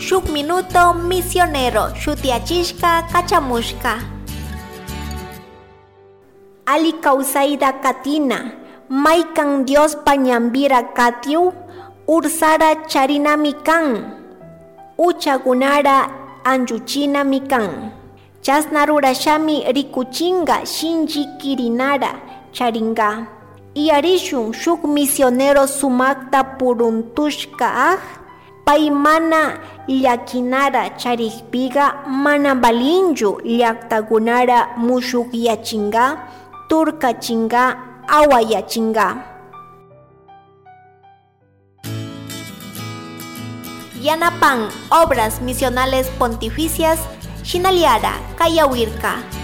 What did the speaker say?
Shuk Minuto Misionero shutiyachishka kachamushka. Ali kawsayta katina, maykan Diospa ñanpira katiu, ursara charinami kan, uchakunara anchuchinami kan. Chasna rurashami rikuchinga shinchi kirinara charinga. Iyarishun shuk misionero sumakta puruntushka aj, pay mana llaquinara charikpiga mana valinchu llaktakunara mushukyachinga, turkachinga, awayachinga. Yanapan Obras Misionales Pontificias, Shinaliara, Kayawirka.